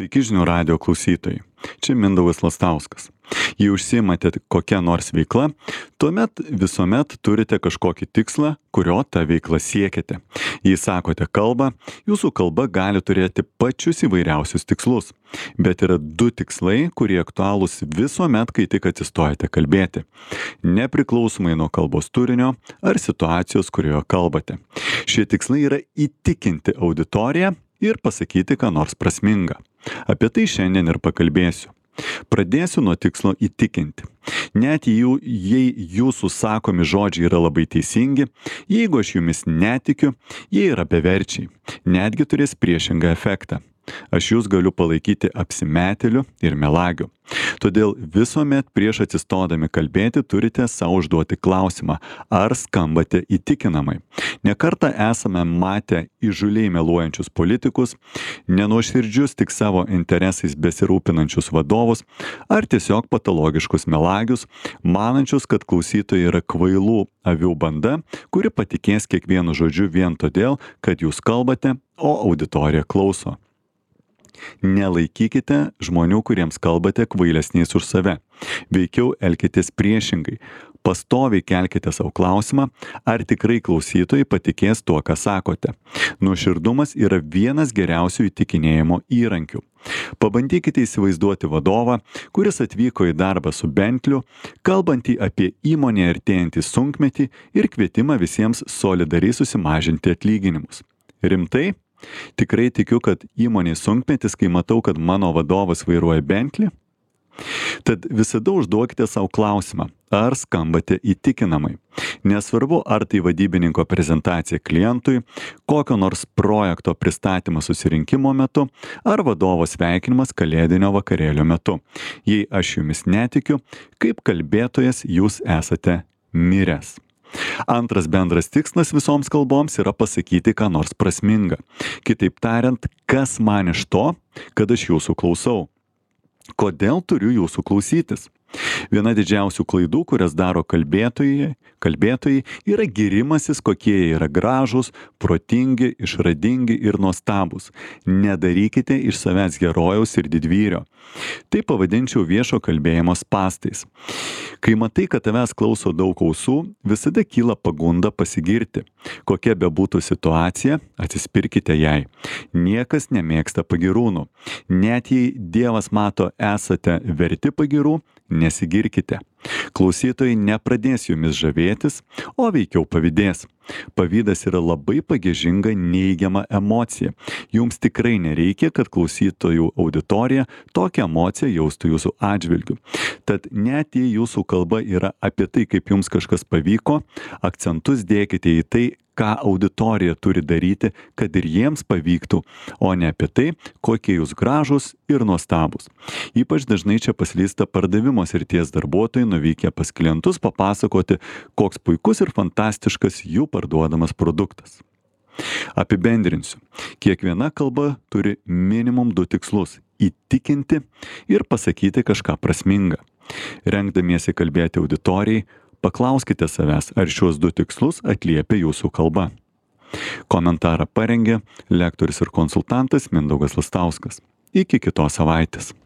Sveiki žinių radijo klausytojai. Čia Mindaugas Lastauskas. Jei užsiimate kokią nors veiklą, tuomet visuomet turite kažkokį tikslą, kurio tą veiklą siekiate. Jei sakote kalbą, jūsų kalba gali turėti pačius įvairiausius tikslus. Bet yra du tikslai, kurie aktualūs visuomet, kai tik atsistojate kalbėti. Nepriklausomai nuo kalbos turinio ar situacijos, kurioje kalbate. Šie tikslai yra įtikinti auditoriją ir pasakyti ką nors prasminga. Apie tai šiandien ir pakalbėsiu. Pradėsiu nuo tikslo įtikinti. Net jei jūsų sakomi žodžiai yra labai teisingi, jeigu aš jumis netikiu, jie yra beverčiai, netgi turės priešingą efektą. Aš jūs galiu palaikyti apsimetėliu ir melagiu. Todėl visuomet prieš atsistodami kalbėti turite savo užduoti klausimą, ar skambate įtikinamai. Nekartą esame matę įžūliai meluojančius politikus, nenuoširdžius tik savo interesais besirūpinančius vadovus, ar tiesiog patologiškus melagius, manančius, kad klausytojai yra kvailų avių banda, kuri patikės kiekvienu žodžiu vien todėl, kad jūs kalbate, o auditorija klauso. Nelaikykite žmonių, kuriems kalbate, kvailesniais už save. Veikiau elkitės priešingai. Pastoviai kelkite savo klausimą, ar tikrai klausytojai patikės tuo, ką sakote. Nuoširdumas yra vienas geriausių įtikinėjimo įrankių. Pabandykite įsivaizduoti vadovą, kuris atvyko į darbą su Bentliu, kalbantį apie įmonę artėjantį sunkmetį ir kvietimą visiems solidariai susimažinti atlyginimus. Rimtai? Tikrai tikiu, kad įmonė sunkmetis, kai matau, kad mano vadovas vairuoja Bentley. Tad visada užduokite savo klausimą, ar skambate įtikinamai. Nesvarbu, ar tai vadybininko prezentacija klientui, kokio nors projekto pristatymas susirinkimo metu, ar vadovo sveikinimas kalėdinio vakarėlio metu. Jei aš jumis netikiu, kaip kalbėtojas jūs esate miręs. Antras bendras tikslas visoms kalboms yra pasakyti ką nors prasminga. Kitaip tariant, kas man iš to, kad aš jūsų klausau? Kodėl turiu jūsų klausytis? Viena didžiausių klaidų, kurias daro kalbėtojai, yra gyrimasis, kokie jie yra gražūs, protingi, išradingi ir nuostabūs. Nedarykite iš savęs herojaus ir didvyrio. Tai pavadinčiau viešo kalbėjimo spąstais. Kai matai, kad tavęs klauso daug ausų, visada kyla pagunda pasigirti. Kokia bebūtų situacija, atsispirkite jai. Niekas nemėgsta pagyrūnų. Net jei Dievas mato esate verti pagyrų, nesigirkite. Klausytojai nepradės jumis žavėtis, o veikiau pavydės. Pavydas yra labai pagiežinga neigiama emocija. Jums tikrai nereikia, kad klausytojų auditorija tokią emociją jaustų jūsų atžvilgiu. Tad net jei jūsų kalba yra apie tai, kaip jums kažkas pavyko, akcentus dėkite į tai, ką auditorija turi daryti, kad ir jiems pavyktų, o ne apie tai, kokie jūs gražūs ir nuostabūs. Ypač dažnai čia paslysta pardavimo srities darbuotojai nuvykę pas klientus papasakoti, koks puikus ir fantastiškas jų parduodamas produktas. Apibendrinsiu. Kiekviena kalba turi minimum 2 tikslus – įtikinti ir pasakyti kažką prasminga. Rengdamiesi kalbėti auditorijai, paklauskite savęs, ar šiuos 2 tikslus atliepia jūsų kalba. Komentarą parengė lektorius ir konsultantas Mindaugas Lastauskas. Iki kitos savaitės.